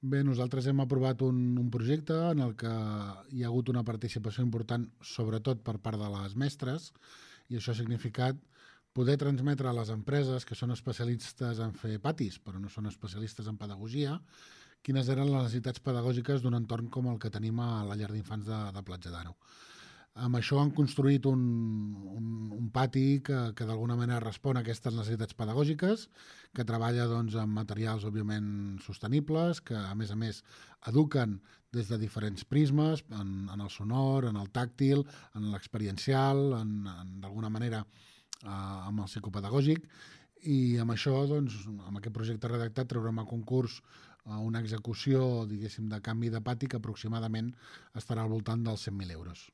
Bé, nosaltres hem aprovat un projecte en el que hi ha hagut una participació important, sobretot per part de les mestres, i això ha significat poder transmetre a les empreses que són especialistes en fer patis, però no són especialistes en pedagogia, quines eren les necessitats pedagògiques d'un entorn com el que tenim a la llar d'infants de Platja d'Aro. Amb això han construït un pati que d'alguna manera respon a aquestes necessitats pedagògiques, que treballa doncs, amb materials, òbviament, sostenibles, que, a més, eduquen des de diferents prismes, en el sonor, en el tàctil, en l'experiencial, d'alguna manera, amb el psicopedagògic, i amb això, doncs, amb aquest projecte redactat, traurem a concurs una execució, diguéssim, de canvi de pati que aproximadament estarà al voltant dels 100.000 euros.